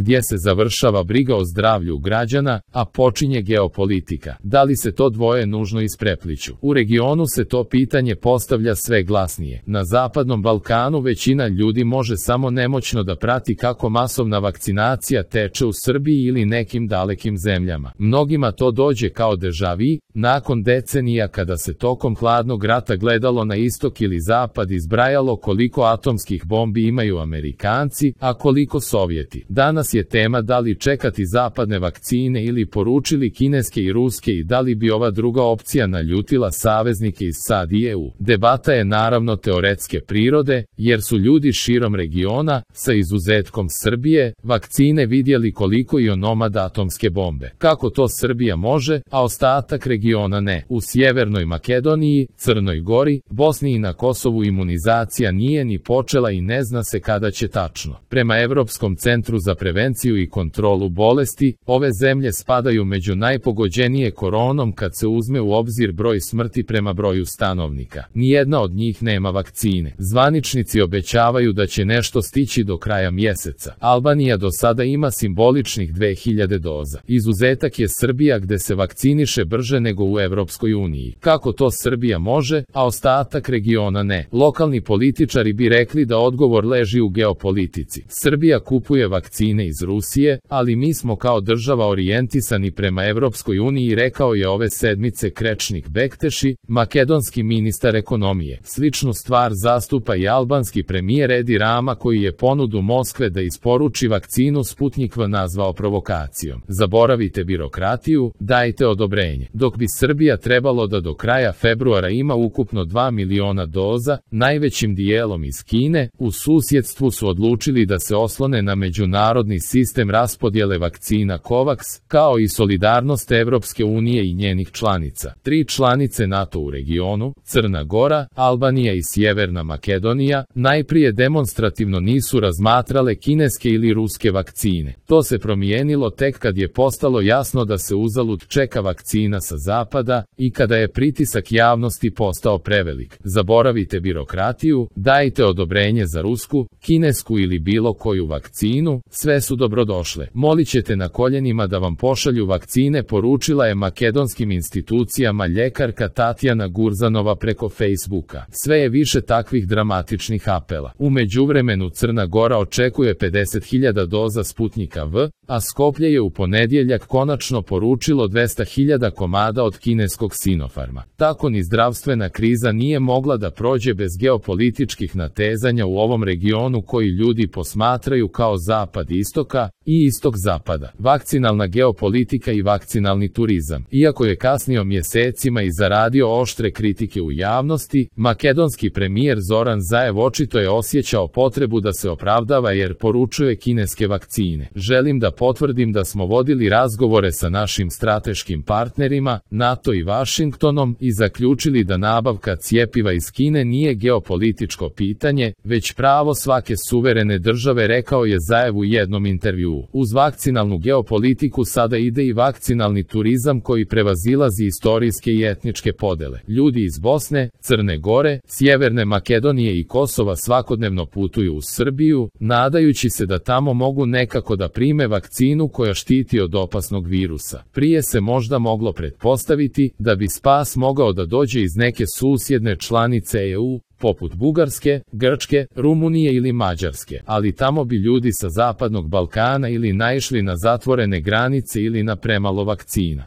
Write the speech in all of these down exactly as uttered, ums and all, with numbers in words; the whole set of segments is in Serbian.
gdje se završava briga o zdravlju građana, a počinje geopolitika. Da li se to dvoje nužno isprepliću? U regionu se to pitanje postavlja sve glasnije. Na Zapadnom Balkanu većina ljudi može samo nemoćno da prati kako masovna vakcinacija teče u Srbiji ili nekim dalekim zemljama. Mnogima to dođe kao deja vu, nakon decenija kada se tokom hladnog rata gledalo na istok ili zapad i zbrajalo koliko atomskih bombi imaju Amerikanci, a koliko Sovjeti. Danas je tema da li čekati zapadne vakcine ili poručili kineske i ruske i da li bi ova druga opcija naljutila saveznike iz S A D i E U. Debata je naravno teoretske prirode, jer su ljudi širom regiona, sa izuzetkom Srbije, vakcine vidjeli koliko i onomad atomske bombe. Kako to Srbija može, a ostatak regiona ne? U Sjevernoj Makedoniji, Crnoj Gori, Bosni i na Kosovu imunizacija nije ni počela i ne zna se kada će tačno. Prema Evropskom centru za prevenciju i kontrolu bolesti, ove zemlje spadaju među najpogođenije koronom kad se uzme u obzir broj smrti prema broju stanovnika. Nijedna od njih nema vakcine. Zvaničnici obećavaju da će nešto stići do kraja mjeseca. Albanija do sada ima simboličnih dve hiljade doza. Izuzetak je Srbija gde se vakciniše brže nego u Evropskoj uniji. Kako to Srbija može, a ostatak regiona ne? Lokalni političari bi rekli da odgovor leži u geopolitici. Srbija kupuje vakcine iz Rusije, ali mi smo kao država orijentisani prema Evropskoj uniji, rekao je ove sedmice Krečnik Bekteši, makedonski ministar ekonomije. Sličnu stvar zastupa i albanski premijer Edi Rama, koji je ponudu Moskve da isporuči vakcinu Sputnik V nazvao provokacijom. Zaboravite birokratiju, dajte odobrenje. Dok bi Srbija trebalo da do kraja februara ima ukupno dva miliona doza, najvećim dijelom iz Kine, u susjedstvu su odlučili da se oslone na međunarodni sistem raspodjele vakcina COVAX, kao i solidarnost Evropske unije i njenih članica. Tri članice NATO u regionu, Crna Gora, Albanija i Sjeverna Makedonija, najprije demonstrativno nisu razmatrale kineske ili ruske vakcine. To se promijenilo tek kad je postalo jasno da se uzalud čeka vakcina sa zapada i kada je pritisak javnosti postao prevelik. Zaboravite birokratiju, dajte odobrenje za rusku, kinesku ili bilo koju vakcinu, sve su dobrodošle. Molit ćete na koljenima da vam pošalju vakcine, poručila je makedonskim institucijama ljekarka Tatjana Gurzanova preko Facebooka. Sve je više takvih dramatičnih apela. U međuvremenu Crna Gora očekuje pedeset hiljada doza Sputnika V, a Skoplje je u ponedjeljak konačno poručilo dvesta hiljada komada od kineskog Sinopharma. Tako ni zdravstvena kriza nije mogla da prođe bez geopolitičkih natezanja u ovom regionu koji ljudi posmatraju kao zapad istoka i istok zapada. Vakcinalna geopolitika i vakcinalni turizam. Iako je kasnio mjesecima i zaradio oštre kritike u javnosti, makedonski premijer Zoran Zaev očito je osjećao potrebu da se opravdava jer poručuje kineske vakcine. Želim da potvrdim da smo vodili razgovore sa našim strateškim partnerima, NATO i Vašingtonom, i zaključili da nabavka cjepiva iz Kine nije geopolitičko pitanje, već pravo svake suverene države, rekao je Zaev u jednom intervjuu. Uz vakcinalnu geopolitiku sada ide i vakcinalni turizam koji prevazilazi istorijske i etničke podele. Ljudi iz Bosne, Crne Gore, Sjeverne Makedonije i Kosova svakodnevno putuju u Srbiju, nadajući se da tamo mogu nekako da prime vakcinu koja štiti od opasnog virusa. Prije se možda moglo pretpostaviti da bi spas mogao da dođe iz neke susjedne članice E U, poput Bugarske, Grčke, Rumunije ili Mađarske, ali tamo bi ljudi sa Zapadnog Balkana ili naišli na zatvorene granice ili na premalo vakcina.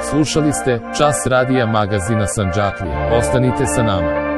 Slušali ste Čas radija magazina Sandžaklija. Ostanite sa nama.